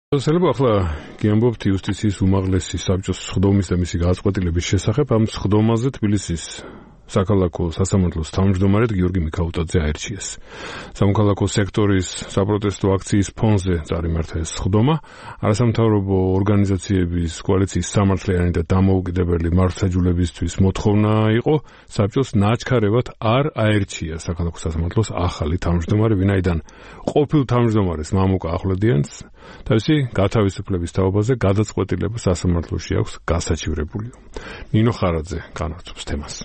შეიძლება ახლა გიამბობთ იუსტიციის უმაღლესი საბჭოს სხდომის და მისი გადაწყვეტილების შესახებ. ამ სხდომაზე თბილისის საქალაქო სასამართლოს თავმჯდომარედ გიორგი მიქაუტაძე აირჩიეს. სამოქალაქო სექტორის საპროტესტო აქციის ფონზე წარიმართა ეს სხდომა. არასამთავრობო ორგანიზაციების კოალიციის სამართლიანი და დამოუკიდებელი მართლმსაჯულებისთვის მოთხოვნა იყო საბჭოს ნაჩქარევად არ აერჩია საქალაქო სასამართლოს ახალი თავმჯდომარე, ვინაიდან ყოფილ თავმჯდომარეს მამუკა ახვლედიანს თავისი გათავისუფლების თაობაზე გადაწყვეტილება სასამართლოში აქვს გასაჩივრებული. ნინო ხარაძე განაგრძობს თემას.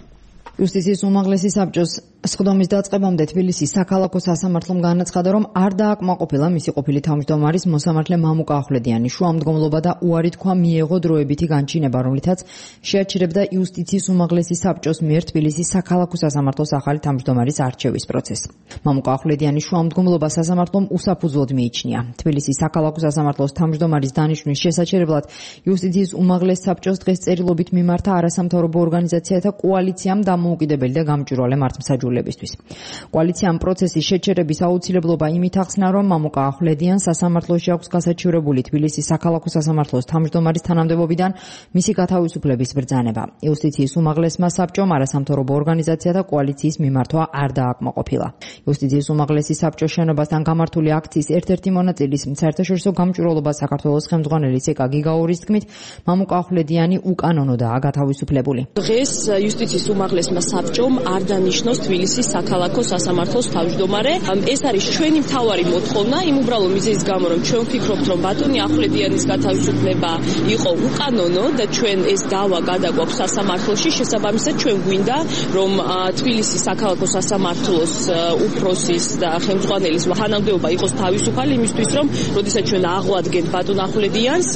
იუსტიციის უმაღლესი საბჭოს სხდომის დაწყებამდე თბილისის საქალაქო სასამართლომ განაცხადა, რომ არ დააკმაყოფილა მისი ყოფილი თავმჯდომარის მოსამართლე მამუკა ახვლედიანი შუამდგომლობა და უარი თქვა მიეღო დროებითი განჩინება, რომლითაც შეაჩერებდა იუსტიციის უმაღლესი საბჭოს მიერ თბილისის საქალაქო სასამართლოს ახალი თავმჯდომარის არჩევის პროცესს. მამუკა ახვლედიანის შუამდგომლობა სასამართლომ უსაფუძვლოდ მიიჩნია. თბილისის საქალაქო სასამართლოს თავმჯდომარის დანიშვნის შესაჩერებლად იუსტიციის უმაღლეს საბჭოს დღეს წერილობით მიმართა არასამთავრობო ორგანიზაციათა კოალიციამ დამოუკიდებელი და გამჭვირვალე მართლმსაჯულებისთვის. კოალიციამ პროცესის შეჩერების აუცილებლობა იმით ახსნა, რომ მამუკა ახვლედიანს სასამართლოში აქვს გასაჩივრებული თბილისის საქალაქო სასამართლოს თავმჯდომარის თანამდებობიდან მისი გათავისუფლების ბრძანება. იუსტიციის უმაღლესმა საბჭომ არასამთავრობო ორგანიზაციათა კოალიციის მიმართვა არ დააკმაყოფილა. იუსტიციის უმაღლესი საბჭოს შენობასთან გამართული აქციის ერთ-ერთი მონაწილის საერთაშორისო გამჭვირვალობას საქართველოს ხელმძღვანელი ცეკა გიგაურის თქმით, მამუკა ახვლედიანი უკანონოდაა გათავისუფლებული. დღეს იუსტიციის უმაღლესმა საბჭომ არ დანიშნოს თბილისის საქალაქო სასამართლოს თავმჯდომარე. ეს არის ჩვენი მთავარი მოთხოვნა, იმ უბრალო მიზეზის გამო, რომ ჩვენ ვფიქრობთ, რომ ბატონი ახვლედიანის გათავისუფლება იყო უკანონო და ჩვენ ეს დავა გადაგვაქვს სასამართლოში. შესაბამისად, ჩვენ გვინდა, რომ თბილისის საქალაქო სასამართლოს უფროსის და ხელმძღვანელის თანამდებობა იყოს თავისუფალი იმისთვის, რომ როდესაც ჩვენ აღვადგენთ ბატონ ახვლედიანს,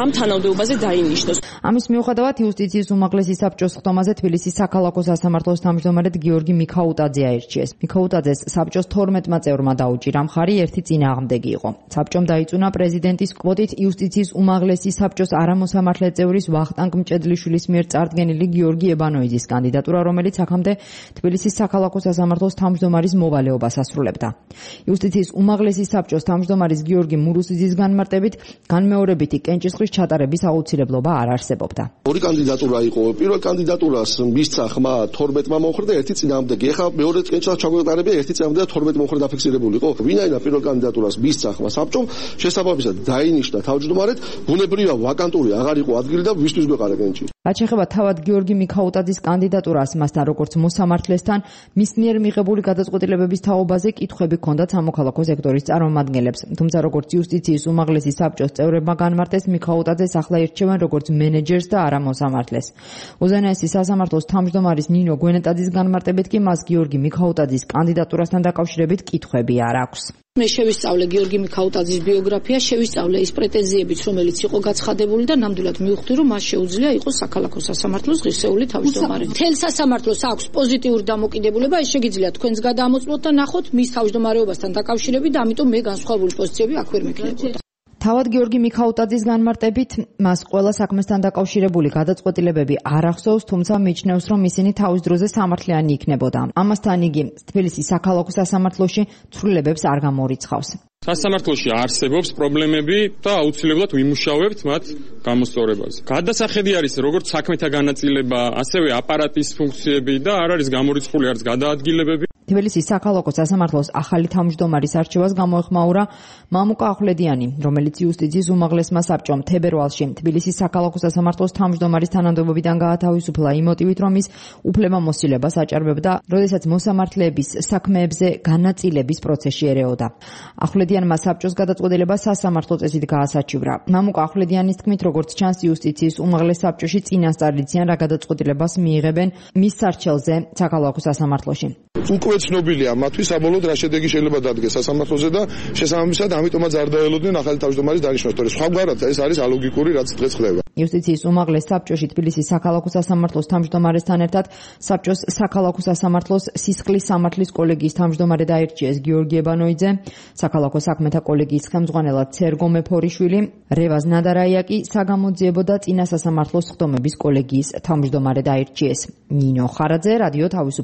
ამ თანამდებობაზე დაინიშნოს. ამის მიუხედავად იუსტიციის უმაღლესი საბჭოს სხდომაზე თბილისის საქალაქო სასამართლოს თავმჯდომარედ გიორგი მიქაუტაძე აირჩიეს. მიქაუტაძეს საბჭოს 12-მა წევრმა დაუჭირა მხარი, ერთი წინააღმდეგი იყო. საბჭომ დაიწუნა პრეზიდენტის კვოტით იუსტიციის უმაღლესი საბჭოს არამოსამართლე წევრის ვახტანგ მჭედლიშვილის მიერ წარდგენილი გიორგი ებანოიძის კანდიდატურა, რომელიც აქამდე თბილისის საქალაქო სასამართლოს თავმჯდომარის მოვალეობას ასრულებდა. იუსტიციის უმაღლესი საბჭოს თავმჯდომარის გიორგი მურუსიძის განმარტებით, განმეორებითი კენჭისყრის ჩატარების აუცილებლობა არ არსებობდა. ორი კანდიდატურა იყო. პირველ კანდიდატურას მისცა ხმა 12-მა მოხრდა, ერთი წინააღმდეგი. ეხლა მეორე კენჭისყრის ჩაგვეტარებია, ერთი წინააღმდეგი და 12 მოხრდა დაფიქსირებული იყო. ვინაიდან პირველ კანდიდატურას მისცა ხმა საბჭომ, შესაბამისად დაინიშნა თავმჯდომარედ, ბუნებრივია ვაკანტური აღარ იყო ადგილი და ვისთვის გვეყარა კენჭი. რაც შეეხება თავად გიორგი მიქაუტაძის კანდიდატურას, მასთან როგორც მოსამართლესთან მის მიერ მიღებული გადაწყვეტილებების თაობაზე კითხვები ჰქონდათ სამოქალაქო სექტორის წარმომადგენლებს. თუმცა როგორც იუსტიციის უმაღლესი საბჭოს წევრებმა განმარტეს, მიქაუტაძეს ახლა ირჩევენ როგორც მენეჯერს და არა მოსამართლეს. უზენაესი სასამართლოს თავმჯდომარის ნინო გვენეტაძის განმარტებით კი მას გიორგი მიქაუტაძის კანდიდატურასთან დაკავშირებით კითხვები არ აქვს. მე შევისწავლე გიორგი მიქაუტაძის ბიოგრაფია, შევისწავლე ის პრეტენზიებიც, რომელიც იყო გაცხადებული და ნამდვილად მივხვდი, რომ მას შეუძლია იყოს საქალაქო სასამართლოს ღირსეული თავმჯდომარე. მთელ სასამართლოს აქვს პოზიტიური დამოკიდებულება, ეს შეგიძლია თქვენს გადამოწმოთ და ნახოთ მის თავმჯდომარეობასთან დაკავშირებით და ამიტომ მე განსხვავებული პოზიციები აქ ვერ მექნებოდა. თავად გიორგი მიქაუტაძის განმარტებით, მას ყველა საქმესთან დაკავშირებული გადაწყვეტილებები არ ახსოვს, თუმცა მიიჩნევს, რომ ისინი თავის დროზე სამართლიანი იქნებოდა. ამასთან იგი თბილისის საქალაქო სასამართლოში ცვლილებებს არ გამორიცხავს. სასამართლოში არსებობს პრობლემები და აუცილებლად ვიმუშავებთ მათ გამოსწორებაზე. გადასახედი არის როგორც საქმეთა განაწილება, ასევე აპარატის ფუნქციები და არ არის გამორიცხული არც გადაადგილებები. თბილისის საქალაქო სასამართლოს ახალი თავმჯდომარის არჩევას გამოეხმაურა მამუკა ახვლედიანი, რომელიც იუსტიციის უმაღლესმა საბჭომ თებერვალში თბილისის საქალაქო სასამართლოს თავმჯდომარის თანამდებობიდან გაათავისუფლა იმ მოტივით, რომ ის უფლებამოსილებას აჭარბებდა, როდესაც მოსამართლეების საქმეებზე განაწილების პროცესში ერეოდა. ახვლედიანმა საბჭოს გადაწყვეტილება სასამართლო წესით გაასაჩივრა. მამუკა ახვლედიანის თქმით, როგორც ჩანს, იუსტიციის უმაღლეს საბჭოში წინასწარ იციან რა გადაწყვეტილებას მიიღებენ მის სარჩელზე საქალაქო სასამართლოში. უკვე ცნობილია მათთვის საბოლოოდ რა შედეგი შეიძლება დადგეს სასამართლოზე და შესაბამისად ამიტომაც არ დაელოდნენ ახალი თავმჯდომარის დანიშვნას, თორე სხვაგვარად ეს არის ალოგიკური, რაც დღეს ხდება. იუსტიციის უმაღლეს საბჭოში თბილისის საქალაქო სასამართლოს თავმჯდომარესთან ერთად საბჭოს საქალაქო სასამართლოს სისხლის სამართლის კოლეგიის თავმჯდომარედ აირჩიეს გიორგი ებანოიძე, საქალაქო საქმეთა კოლეგიის ხელმძღვანელად სერგო მეფორიშვილი, რევაზ ნადარაია კი საგამოძიებო და წინა სასამართლოს სხდომების კოლეგიის თავმჯდომარედ აირჩიეს. ნინო ხარაძე, რადიო თავისუფლება.